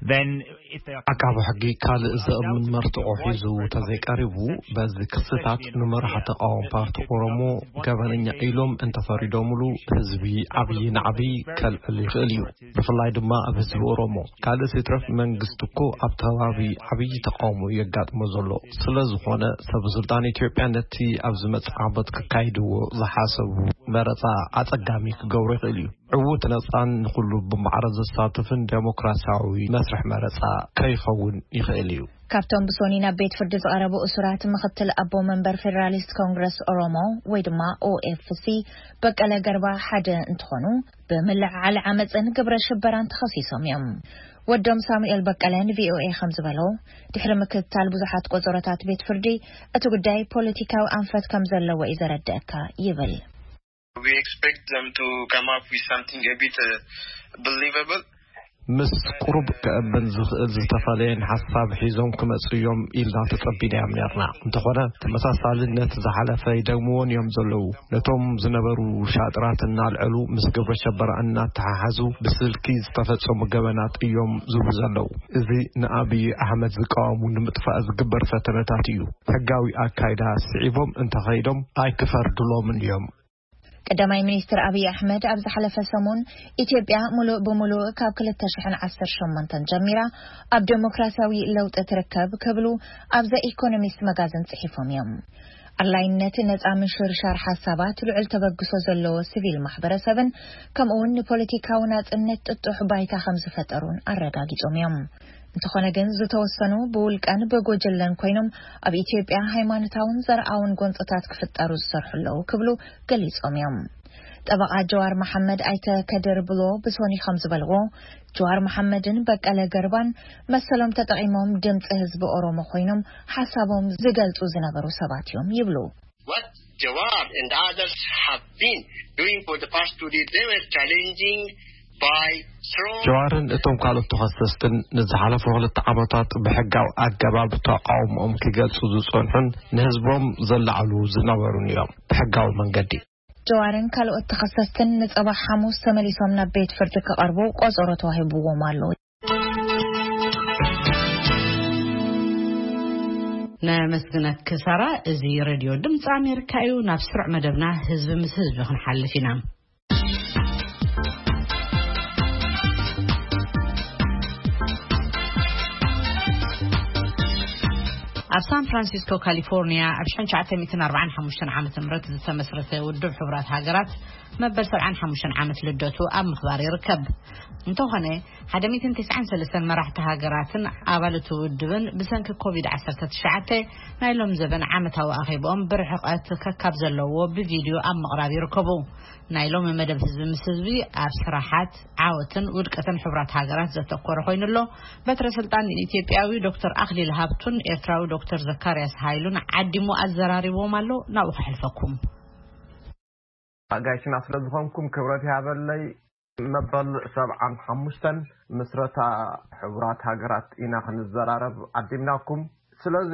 then if they are ዓቃቢ ሕጊ ካልእ ዘእምን መርትዖ ሒዙ ተዘይቀሪቡ፣ በዚ ክስታት ንመራሒ ተቃዋሚ ፓርቲ ኦሮሞ ገበነኛ ኢሎም እንተፈሪዶምሉ፣ ህዝቢ ዓብዪ ናዕቢ ከልዕል ይኽእል እዩ። ብፍላይ ድማ ኣብ ህዝቢ ኦሮሞ። ካልእ ሲትረፍ መንግስቲ እኮ ኣብ ከባቢ ዓብዪ ተቃውሞ የጋጥሞ ዘሎ። ስለ ዝኾነ፣ ሰበ ስልጣን ኢትዮጵያ ነቲ ኣብ ዝመጽእ ዓመት ክካይድዎ ዝሓሰቡ መረጻ ኣጸጋሚ ክገብሮ ይኽእል እዩ። ዕዉት፣ ነጻን ንኹሉ ብማዕረ ዘሳትፍን ዴሞክራሲያዊ መስርሕ መረጻ ከይኸውን ይኽእል እዩ። ካብቶም ብሶኒ ናብ ቤት ፍርዲ ዝቐረቡ እሱራት፣ ምኽትል ኣቦ መንበር ፌደራሊስት ኮንግረስ ኦሮሞ ወይ ድማ ኦኤፍሲ በቀለ ገርባ ሓደ እንትኾኑ፣ ብምልዕዓል ዓመፅን ግብረ ሽበራን ተኸሲሶም እዮም። ወዶም ሳሙኤል በቀለ ንቪኦኤ ከም ዝበሎ፣ ድሕሪ ምክትታል ብዙሓት ቆጸሮታት ቤት ፍርዲ፣ እቲ ጉዳይ ፖለቲካዊ ኣንፈት ከም ዘለዎ እዩ ዘረድአካ ይብል። We expect them to come up with something a bit uh, believable. ምስ ቁሩብ ከእብን ዝኽእል ዝተፈላለየን ሓሳብ ሒዞም ክመጹ እዮም ኢልና ተጸቢናዮም ነርና። እንተኾነ፣ ተመሳሳሊ ነቲ ዝሓለፈ ይደግምዎን እዮም ዘለዉ። ነቶም ዝነበሩ ሻጥራት እናልዐሉ፣ ምስ ግብረ ሸበራ እናተሓሓዙ ብስልኪ ዝተፈጸሙ ገበናት እዮም ዝብሉ ዘለዉ። እዚ ንኣብዪ ኣሕመድ ዝቃወሙ ንምጥፋእ ዝግበር ፈተነታት እዩ። ሕጋዊ ኣካይዳ ስዒቦም እንተኸይዶም ኣይክፈርድሎምን እዮም። ቀዳማይ ሚኒስትር ኣብይ ኣሕመድ ኣብ ዝሓለፈ ሰሙን፣ ኢትዮጵያ ሙሉእ ብሙሉእ ካብ ክልተ ሽሕን ዓሰርተ ሸሞንተን ጀሚራ ኣብ ዴሞክራሲያዊ ለውጢ ትርከብ ክብሉ ኣብ ዘ ኢኮኖሚስት መጋዝን ጽሒፎም እዮም። ኣድላይነት ነጻ ምሽርሻር ሓሳባት፣ ልዑል ተበግሶ ዘለዎ ሲቪል ማሕበረሰብን ከምኡውን ንፖለቲካዊ ናጽነት ጥጡሕ ባይታ ከም ዝፈጠሩን ኣረጋጊጾም እዮም። እንተኾነ ግን፣ ዝተወሰኑ ብውልቀን ብጉጅለን ኮይኖም ኣብ ኢትዮጵያ ሃይማኖታውን ዘርኣውን ጎንጽታት ክፍጠሩ ዝሰርሑ ኣለዉ ክብሉ ገሊጾም እዮም። ጠበቓ ጀዋር መሓመድ ኣይተ ከድር ብሎ ብሶኒ ከም ዝበልዎ፣ ጀዋር መሓመድን በቀለ ገርባን መሰሎም ተጠቒሞም ድምፂ ህዝቢ ኦሮሞ ኮይኖም ሓሳቦም ዝገልጹ ዝነበሩ ሰባት እዮም ይብሉ። What Jawar and others have been doing for the past two days, they were challenging by strong. ጀዋርን እቶም ካልኦት ተኸሰስትን ንዝሓለፉ ክልተ ዓመታት ብሕጋዊ ኣገባብ ተቃውሞኦም ክገልጹ ዝጸንሑን ንህዝቦም ዘላዕሉ ዝነበሩን እዮም። ብሕጋዊ መንገዲ። ጀዋርን ካልኦት ተኸሰስትን ንጸባሕ ሓሙስ ተመሊሶም ናብ ቤት ፍርዲ ክቐርቡ ቆጸሮ ተዋሂብዎም ኣሎ። ነመስግነኪ ሳራ። እዚ ሬድዮ ድምፂ ኣሜሪካ እዩ። ናብ ስሩዕ መደብና ህዝቢ ምስ ህዝቢ ክንሓልፍ ኢና። ኣብ ሳን ፍራንሲስኮ ካሊፎርኒያ ኣብ ሽሕን ትሽዓተ ሚእትን ኣርባዓን ሓሙሽተን ዓመተ ምህረት ዝተመስረተ ውድብ ሕቡራት ሃገራት መበል ሰብዓን ሓሙሽተን ዓመት ልደቱ ኣብ ምኽባር ይርከብ። እንተኾነ፣ ሓደ ሚእትን ተስዓን ሰለስተን መራሕቲ ሃገራትን ኣባል እቲ ውድብን ብሰንኪ ኮቪድ ዓሰርተ ትሽዓተ ናይ ሎም ዘበን ዓመታዊ ኣኼብኦም ብርሕቐት ከካብ ዘለዎ ብቪድዮ ኣብ ምቕራብ ይርከቡ። ናይ ሎሚ መደብ ህዝቢ ምስ ህዝቢ ኣብ ስራሓት፣ ዓወትን ውድቀትን ሕቡራት ሃገራት ዘተኮረ ኮይኑ ኣሎ። በትረ ስልጣን ኢትዮጵያዊ ዶክተር ኣኽሊል ሃብቱን ኤርትራዊ ዶክተር ዘካርያስ ሃይሉን ዓዲሙ ኣዘራሪብዎም ኣሎ። ናብኡ ከሕልፈኩም። ኣጋይሽና ስለ ዝኾንኩም ክብረት ይሃበለይ። መበል ሰብዓን ሓሙሽተን ምስረታ ሕቡራት ሃገራት ኢና ክንዘራረብ ዓዲምናኩም። ስለዚ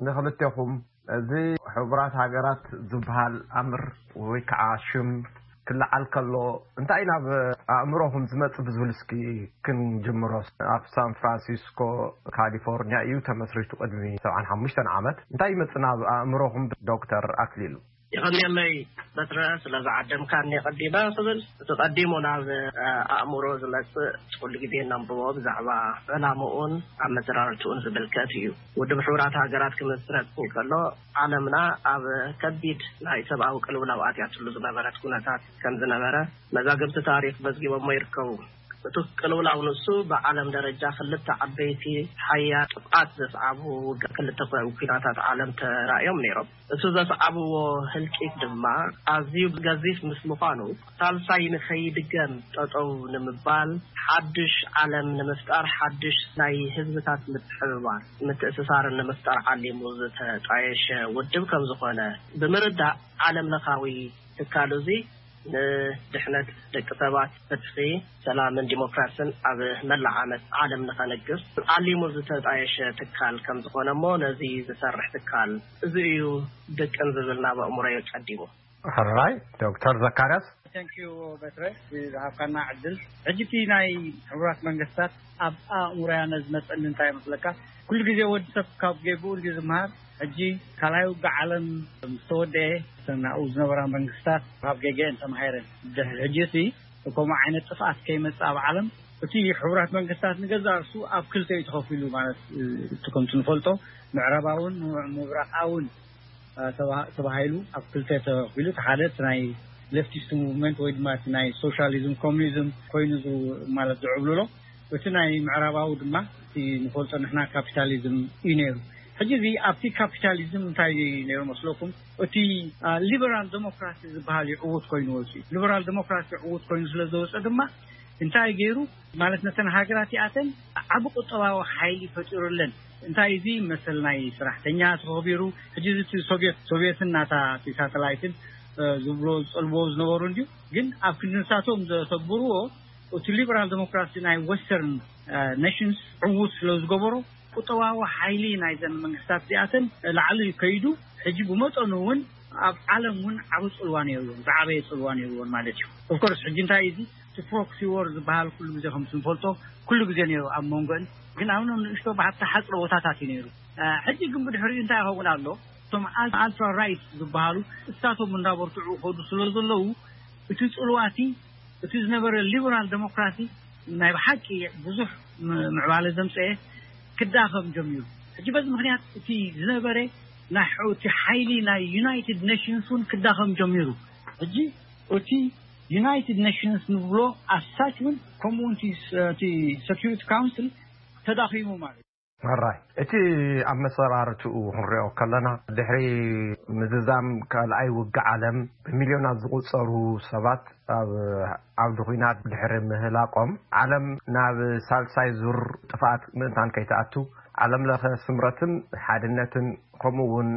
ንኽልቴኹም፣ እዚ ሕቡራት ሃገራት ዝበሃል ኣምር ወይ ከዓ ሽም ክለዓል ከሎ እንታይ ናብ ኣእምሮኹም ዝመጽእ ብዝብል እስኪ ክንጅምሮ። ኣብ ሳን ፍራንሲስኮ ካሊፎርኒያ እዩ ተመስሪቱ ቅድሚ ሰብዓን ሓሙሽተን ዓመት። እንታይ ይመጽእ ናብ ኣእምሮኹም ዶክተር ኣክሊሉ? የቐንየለይ በትረ ስለ ዝዓደምካኒ ቀዲመ ክብል፣ እቲ ቀዲሙ ናብ ኣእምሮ ዝመጽእ ኩሉ ግዜ ነንብቦ ብዛዕባ ዕላምኡን ኣመዘራርትኡን ዝምልከት እዩ። ውድብ ሕቡራት ሃገራት ክምስረት እንከሎ ዓለምና ኣብ ከቢድ ናይ ሰብኣዊ ቅልውላው ኣትያትሉ ዝነበረት ኩነታት ከም ዝነበረ መዛግብቲ ታሪኽ መዝጊቦሞ ይርከቡ። እቲ ቅልውላው ንሱ ብዓለም ደረጃ ክልተ ዓበይቲ ሓያል ጥፍኣት ዘስዓቡ ክልተ ኩናታት ዓለም ተራእዮም ነይሮም። እቲ ዘስዓብዎ ህልቂት ድማ ኣዝዩ ገዚፍ ምስ ምዃኑ፣ ሳልሳይ ንኸይድገም ጠጠው ንምባል፣ ሓድሽ ዓለም ንምፍጣር፣ ሓድሽ ናይ ህዝብታት ምትሕብባር፣ ምትእስሳርን ንምፍጣር ዓሊሙ ዝተጣየሸ ውድብ ከም ዝኾነ ብምርዳእ፣ ዓለም ለኻዊ ትካል እዚ ንድሕነት ደቂ ሰባት፣ ፍትሒ፣ ሰላምን ዲሞክራስን ኣብ መላእ ዓመት ዓለም ንኸንግስ ዓሊሙ ዝተጣየሸ ትካል ከም ዝኾነ እሞ ነዚ ዝሰርሕ ትካል እዚ እዩ ድቅን ዝብል ናብ ኣእምሮየ ቀዲሙ። ሕራይ ዶክተር ዘካርያስ። Thank you በትረ ዝሃብካና ዕድል። ሕጂ እቲ ናይ ሕቡራት መንግስታት ኣብ ኣእምሮያ ነዝመፀኒ እንታይ ይመስለካ? ኩሉ ግዜ ወዲ ሰብ ካብ ጌግኡ እንዲ ዝምሃር። ሕጂ ካልኣይ ውግእ ዓለም ምስ ተወደኤ እተን ኣብኡ ዝነበራ መንግስታት ካብ ጌገአን ተማሂረን። ድሕሪ ሕጂ እቲ ከምኡ ዓይነት ጥፍኣት ከይመፅእ ኣብ ዓለም እቲ ሕቡራት መንግስታት ንገዛእ ርእሱ ኣብ ክልተ እዩ ተኸፊሉ። ማለት እቲ ከምቲ ንፈልጦ ምዕራባውን ምብራቓውን ተባሂሉ ኣብ ክልተ ተኸፊሉ። እቲ ሓደ እቲ ናይ ሌፍቲስት ሙቭመንት ወይ ድማ እቲ ናይ ሶሻሊዝም ኮሚኒዝም ኮይኑ ማለት ዝዕብልሎ፣ እቲ ናይ ምዕራባዊ ድማ ንፈልጦ ንሕና ካፒታሊዝም እዩ ነይሩ። ሕጂ እዚ ኣብቲ ካፒታሊዝም እንታይ ነይሩ መስለኩም? እቲ ሊበራል ዴሞክራሲ ዝበሃል እዩ ዕዉት ኮይኑ ወፂኡ። ሊበራል ዴሞክራሲ ዕዉት ኮይኑ ስለ ዝወፀ ድማ እንታይ ገይሩ ማለት ነተን ሃገራት እኣተን ዓቢ ቁጠባዊ ሓይሊ ፈጢሩለን። እንታይ እዚ መሰል ናይ ሰራሕተኛ ተኸቢሩ። ሕጂ እዚ እቲ ሶቪየት ሶቪየትን ናታ እቲ ሳተላይትን ዝብሎ ዝጠልብዎ ዝነበሩ እንድዩ። ግን ኣብ ክንዲ ንሳቶም ዘተግብርዎ እቲ ሊበራል ዴሞክራሲ ናይ ወስተርን ነሽንስ ዕዉት ስለ ዝገበሮ ቁጠባዊ ሓይሊ ናይዘን መንግስታት እዚኣተን ላዕሊ ከይዱ ሕጂ ብመጠኑ እውን ኣብ ዓለም እውን ዓብ ፅልዋ ነይርዎን ዝዓበየ ፅልዋ ነይርዎን ማለት እዩ። ኦፍኮርስ ሕጂ እንታይ እዚ እቲ ፕሮክሲ ዎር ዝበሃል ኩሉ ግዜ ከም ንፈልጦ ኩሉ ግዜ ነይሩ ኣብ መንጎን። ግን ኣብ ኖም ንእሽቶ ብሓታ ሓፅረ ቦታታት እዩ ነይሩ። ሕጂ ግን ብድሕሪኡ እንታይ ይኸውን ኣሎ? እቶም ኣልትራ ራይት ዝበሃሉ እሳቶም እንዳበርትዑ ከዱ ስለ ዘለዉ እቲ ፅልዋቲ እቲ ዝነበረ ሊበራል ዴሞክራሲ ናይ ብሓቂ ብዙሕ ምዕባለ ዘምፀኤ ክዳኸም ጀሚሩ። ሕጂ በዚ ምክንያት እቲ ዝነበረ ናይ እቲ ሓይሊ ናይ ዩናይትድ ኔሽንስ እውን ክዳኸም ጀሚሩ። ሕጂ እቲ ዩናይትድ ኔሽንስ ንብሎ ኣሳች እውን ከምኡ እቲ ሰኪሪቲ ካውንስል ተዳኺሙ ማለት እዩ። ራይ እቲ ኣብ መሰራርትኡ ክንሪኦ ከለና ድሕሪ ምዝዛም ካልኣይ ውግእ ዓለም ብሚልዮናት ዝቁፀሩ ሰባት ኣብ ዓውዲ ኲናት ድሕሪ ምህላቆም ዓለም ናብ ሳልሳይ ዙር ጥፍኣት ምእንታን ከይትኣቱ ዓለም ለኸ ስምረትን ሓድነትን ከምኡ እውን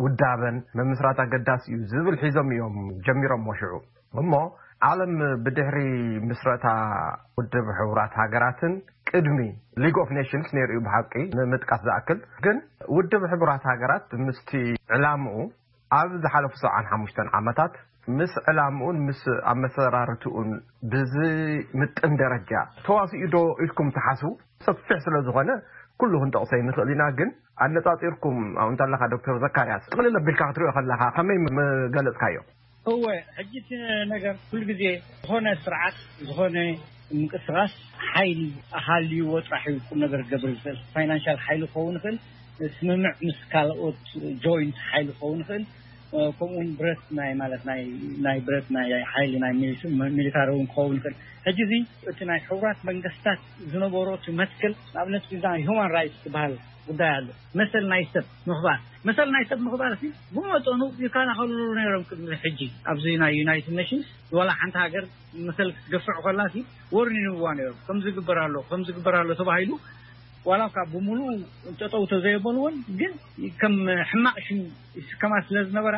ውዳበን መምስራት ኣገዳሲ እዩ ዝብል ሒዞም እዮም ጀሚሮም ወሽዑ። እሞ ዓለም ብድሕሪ ምስረታ ውድብ ሕቡራት ሃገራትን ቅድሚ ሊግ ኦፍ ኔሽንስ ነይሩ እዩ ብሓቂ ንምጥቃስ ዝኣክል። ግን ውድብ ሕቡራት ሃገራት ምስቲ ዕላምኡ ኣብ ዝሓለፉ ሰብዓን ሓሙሽተን ዓመታት ምስ ዕላምኡን ምስ ኣመሰራርትኡን ብዝምጥን ደረጃ ተዋሲኡ ዶ ኢልኩም ትሓስቡ? ሰፊሕ ስለ ዝኾነ ኩሉ ክንጠቕሶ ይንኽእል ኢና። ግን ኣነጻጺርኩም ኣብኡ እንተለኻ ዶክተር ዘካርያስ ጥቕልል ኣቢልካ ክትሪኦ ከለኻ ከመይ ምገለጽካዮ? እወ፣ ሕጂ እቲ ነገር ኩሉ ግዜ ዝኾነ ስርዓት ዝኾነ ምንቅስቃስ ሓይሊ ሃልይዎ ጥራሕ እዩ ቁም ነገር ክገብር ዝኽእል። ፋይናንሻል ሓይሊ ክኸውን ይኽእል፣ ስምምዕ ምስ ካልኦት ጆይንት ሓይሊ ክኸውን ይኽእል፣ ከምኡውን ብረት ናይ ማለት ናይ ናይ ብረት ናይ ሓይሊ ናይ ሚሊስ- ሚሊታሪ እውን ክኸውን ይኽእል። ሕጂ እዚ እቲ ናይ ሕቡራት መንግስታት ዝነበሮ እቲ መትከል ንኣብነት እዚ ናይ ሁማን ራይትስ ዝበሃል ጉዳይ ኣሎ። መሰል ናይ ሰብ ምኽባር መሰል ናይ ሰብ ምኽባር ሲ ብመጠኑ ይከላኸልሉ ነይሮም ቅድሚ ሕጂ ኣብዚ ናይ ዩናይትድ ኔሽንስ ዋላ ሓንቲ ሃገር መሰል ክትገፍዕ ከላ ሲ ወርኒንግ ይህብዋ ነይሮም። ከምዚ ግበር ኣሎ ከምዚ ግበር ኣሎ ተባሂሉ ዋላ ካብ ብምሉኡ ጠጠው ተዘየበልዎን ግን ከም ሕማቕ ሽም ይስከማ ስለ ዝነበራ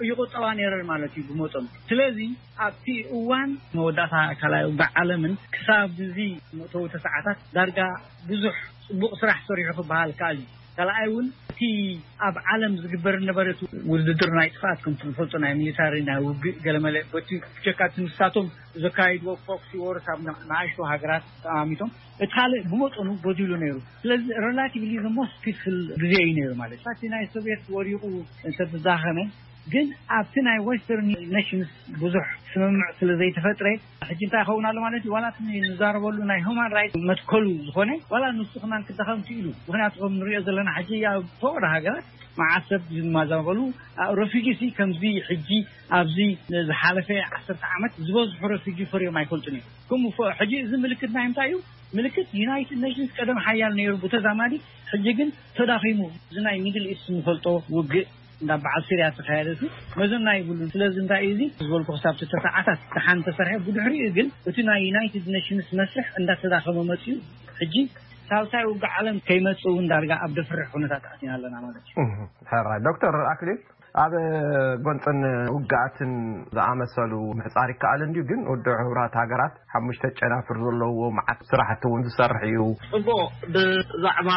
ይቁጠባ ነይረን ማለት እዩ ብመጠኑ። ስለዚ ኣብቲ እዋን መወዳእታ ካልኣይ ውግእ ዓለምን ክሳብ እዚ መእተዊ ተሰዓታት ዳርጋ ብዙሕ ፅቡቕ ስራሕ ሰሪሑ ክበሃል ከኣል እዩ። ካልኣይ እውን እቲ ኣብ ዓለም ዝግበር ነበረ እቲ ውድድር ናይ ጥፍኣት ከምቲ ንፈልጦ ናይ ሚሊታሪ ናይ ውግእ ገለመለ በቲ ብጀካ እቲ ንሳቶም ዘካይድዎ ፕሮክሲ ዎርስ ኣብ ንኣሽቱ ሃገራት ተኣሚቶም እቲ ካልእ ብመጠኑ ጎዲሉ ነይሩ። ስለዚ ሬላቲቭሊ ዘ ሞስት ፒስፉል ግዜ እዩ ነይሩ ማለት እዩ። እቲ ናይ ሶቪየት ወዲቑ እንተተዛኸመ ግን ኣብቲ ናይ ዌስተርን ኔሽንስ ብዙሕ ስምምዕ ስለ ዘይተፈጥረ ሕጂ እንታይ ይኸውን ኣሎ ማለት እዩ። ዋላ እቲ ንዛረበሉ ናይ ሁማን ራይት መትከሉ ዝኾነ ዋላ ንሱ ክማን ክዳኸም ክኢሉ። ምክንያቱ ከም ንሪኦ ዘለና ሕጂ ኣብ ፈቐዶ ሃገራት መዓት ሰብ ዝማዛበሉ ረፊጂ ሲ ከምዚ ሕጂ ኣብዚ ዝሓለፈ ዓሰርተ ዓመት ዝበዝሑ ረፊጂ ፈርዮም ኣይፈልጡን እዮም። ከምኡ ፈ- ሕጂ እዚ ምልክት ናይ እንታይ እዩ? ምልክት ዩናይትድ ኔሽንስ ቀደም ሓያል ነይሩ ብተዛማዲ፣ ሕጂ ግን ተዳኺሙ። እዚ ናይ ሚድል ኢስት ንፈልጦ ውግእ እንዳ በዓል ሲርያ ዝተኻየደ ሲ መዘና ይብሉን። ስለዚ እንታይ እዩ እዚ ዝበልኩ ክሳብ ተተዓታት ደሓን ተሰርሐ። ብድሕሪኡ ግን እቲ ናይ ዩናይትድ ኔሽንስ መስርሕ እንዳተዳኸመ መፅዩ። ሕጂ ሳልሳይ ውግእ ዓለም ከይመፅእ እውን ዳርጋ ኣብ ደፍርሕ ኩነታት ኣቲና ኣለና ማለት እዩ። ሕራይ ዶክተር ኣክሊል ኣብ ጎንፅን ውግኣትን ዝኣመሰሉ ምሕፃር ይከኣል እንድዩ። ግን ውድብ ሕቡራት ሃገራት ሓሙሽተ ጨናፍር ዘለዎ መዓት ስራሕቲ እውን ዝሰርሕ እዩ። ጽቡቕ። ብዛዕባ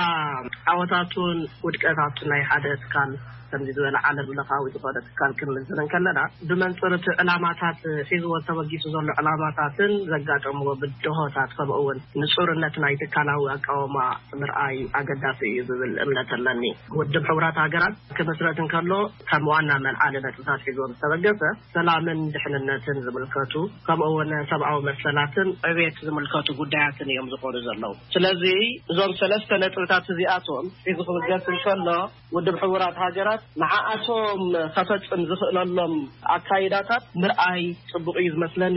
ዓወታቱን ውድቀታቱን ናይ ሓደ ትካል ከምዚ ዝበለ ዓለም ለኻዊ ዝኾነ ትካል ክንምዝን ከለና ብመንፅር እቲ ዕላማታት ሒዝዎ ተበጊሱ ዘሎ ዕላማታትን ዘጋጠምዎ ብድሆታት ከምኡ እውን ንፁርነት ናይ ትካላዊ ኣቃውማ ምርኣይ ኣገዳሲ እዩ ዝብል እምነት ኣለኒ። ውድብ ሕቡራት ሃገራት ክምስረት እንከሎ ከም ዋና መልዓሊ ነጥብታት ሒዝዎ ዝተበገሰ ሰላምን ድሕንነትን ዝምልከቱ ከምኡ እውን ሰብኣዊ መሰላትን ዕቤት ዝምልከቱ ጉዳያትን እዮም ዝኾኑ ዘለዉ። ስለዚ እዞም ሰለስተ ነጥብታት እዚኣቶም ሒዙ ክብገስ እንከሎ ውድብ ሕቡራት ሃገራት ንዓኣቶም ከፈጽም ዝኽእለሎም ኣካይዳታት ምርኣይ ጽቡቕ እዩ ዝመስለኒ።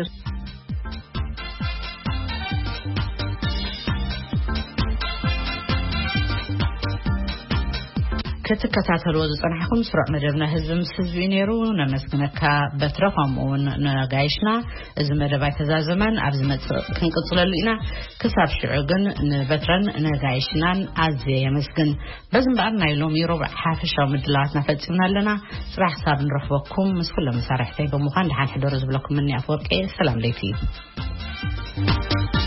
ክትከታተልዎ ዝጸናሕኩም ስሩዕ መደብና ህዝቢ ምስ ህዝቢ እዩ ነይሩ። ነመስግነካ በትረ፣ ከምኡ እውን ነጋይሽና። እዚ መደብ ኣይተዛዘመን፣ ኣብ ዝመጽእ ክንቅጽለሉ ኢና። ክሳብ ሽዑ ግን ንበትረን ነጋይሽናን ኣዝየ የመስግን። በዚ እምበኣር ናይ ሎሚ ረቡዕ ሓፈሻዊ ምድላዋትና ፈጺምና ኣለና። ጽባሕ ክሳብ ንረኽበኩም ምስ ኩሎም መሳርሕተይ ብምዃን ደሓን ሕደሩ ዝብለኩም ምኒ ኣፈወርቂ። ሰላም ለይቲ።